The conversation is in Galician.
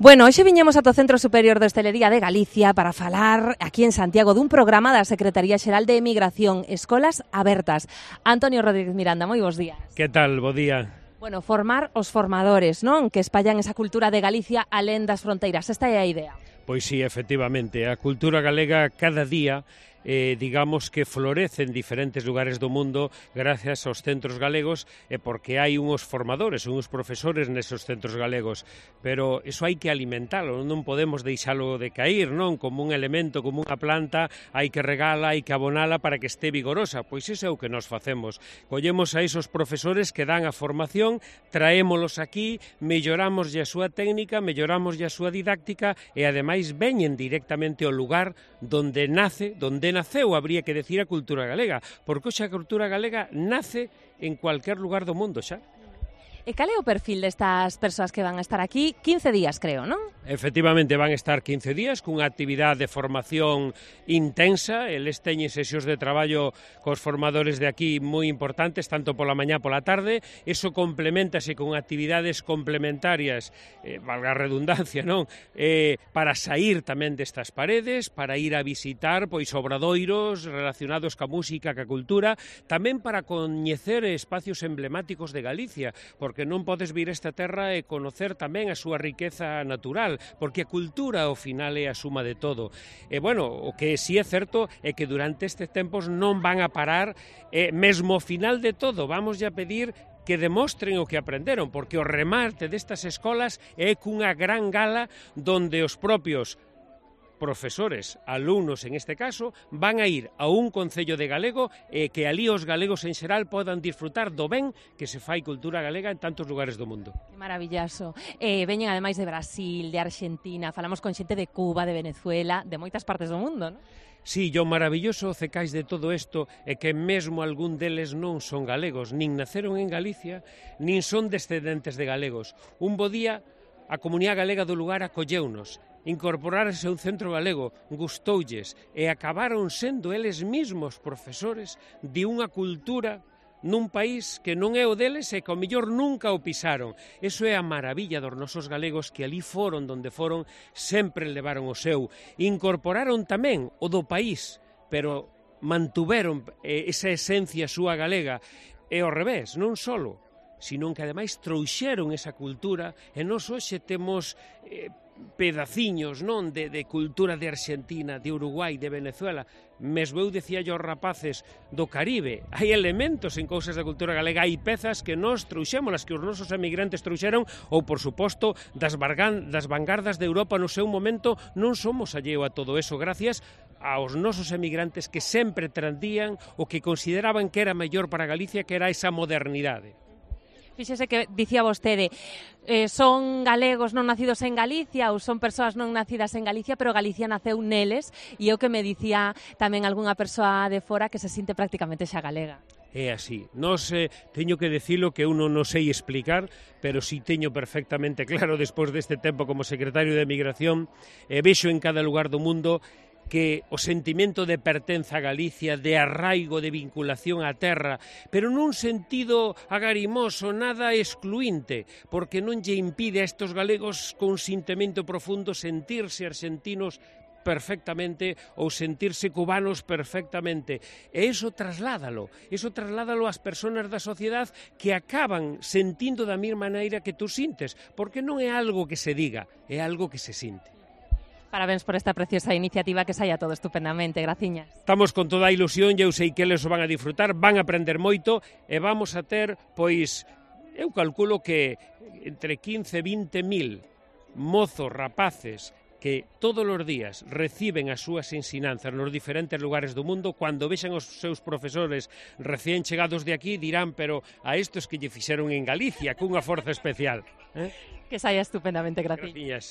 Bueno, hoxe viñemos ata o Centro Superior de Hostelería de Galicia para falar aquí en Santiago dun programa da Secretaría Xeral de Emigración, Escolas Abertas. Antonio Rodríguez Miranda, moi bons días. Que tal, bo día? Bueno, formar os formadores, non? Que espallan esa cultura de Galicia alén das fronteiras. Esta é a idea. Pois sí, efectivamente, a cultura galega cada día digamos que florece en diferentes lugares do mundo gracias aos centros galegos e porque hai unhos formadores, unhos profesores nesos centros galegos, pero iso hai que alimentalo, non podemos deixalo de cair, non? Como un elemento, como unha planta, hai que regala, hai que abonala para que este vigorosa, pois iso é o que nos facemos. Collemos a esos profesores que dan a formación, traémolos aquí, melloramos a súa técnica, melloramos a súa didáctica e ademais veñen directamente ao lugar donde naceu, habría que decir, a cultura galega, porque hoxe a cultura galega nace en cualquier lugar do mundo xa. E cal é o perfil destas persoas que van a estar aquí? 15 días, creo, non? Efectivamente, van a estar 15 días cunha actividade de formación intensa. Eles teñen sesións de traballo cos formadores de aquí moi importantes, tanto pola mañá pola tarde. Eso complementase con actividades complementarias, valga a redundancia, non? Para sair tamén destas paredes, para ir a visitar pois obradoiros relacionados ca música, ca cultura, tamén para coñecer espacios emblemáticos de Galicia, porque non podes vir a esta terra e conocer tamén a súa riqueza natural, porque a cultura ao final é a suma de todo. E bueno, o que sí é certo é que durante estes tempos non van a parar, mesmo ao final de todo, vamos a pedir que demostren o que aprenderon, porque o remate destas escolas é cunha gran gala donde os propios profesores, alumnos en este caso, van a ir a un concello de galego e que alí os galegos en xeral podan disfrutar do ben que se fai cultura galega en tantos lugares do mundo. Que maravillaso. Veñen ademais de Brasil, de Argentina, falamos con xente de Cuba, de Venezuela, de moitas partes do mundo, non? Sí, o maravilloso cecais de todo isto é que mesmo algún deles non son galegos, nin naceron en Galicia, nin son descendentes de galegos. Un bo día, a comunidade galega do lugar acolleunos, incorporarse a un centro galego, gustoulles e acabaron sendo eles mesmos profesores de unha cultura nun país que non é o deles e que ao mellor nunca o pisaron. Eso é a maravilla dos nosos galegos que ali foron donde foron, sempre levaron o seu. Incorporaron tamén o do país, pero mantuveron esa esencia súa galega. E ao revés, non solo, sino que ademais trouxeron esa cultura e nós hoxe temos pedaciños, non, de cultura de Argentina, de Uruguai, de Venezuela. Mesmo eu dicía aos rapaces do Caribe, hai elementos en cousas da cultura galega, hai pezas que nós trouxémolas, que os nosos emigrantes trouxeron, ou, por suposto, das vanguardas de Europa no seu momento. Non somos alleo a todo eso, gracias aos nosos emigrantes que sempre trandían o que consideraban que era mellor para Galicia, que era esa modernidade. Fíxese que dicía vostede, son galegos non nacidos en Galicia ou son persoas non nacidas en Galicia, pero Galicia naceu neles, e o que me dicía tamén algunha persoa de fora que se sinte prácticamente xa galega. É así. Nos teño que dicilo que eu non sei explicar, pero si teño perfectamente claro despois deste tempo como secretario de Emigración, vexo en cada lugar do mundo que o sentimento de pertenza a Galicia, de arraigo, de vinculación á terra, pero nun sentido agarimoso, nada excluinte, porque non lle impide a estes galegos con sentimento profundo sentirse argentinos perfectamente ou sentirse cubanos perfectamente. E iso trasládalo ás persoas da sociedade que acaban sentindo da mesma maneira que tú sintes, porque non é algo que se diga, é algo que se sinte. Parabéns por esta preciosa iniciativa, que saia todo estupendamente, graciñas. Estamos con toda a ilusión, eu sei que eles o van a disfrutar, van a aprender moito e vamos a ter, pois, eu calculo que entre 15 e 20 mil mozos, rapaces, que todos os días reciben as súas ensinanzas nos diferentes lugares do mundo, cando vexan os seus profesores recén chegados de aquí, dirán, pero a estos que lle fixeron en Galicia, cunha forza especial. Que saia estupendamente, graciñas.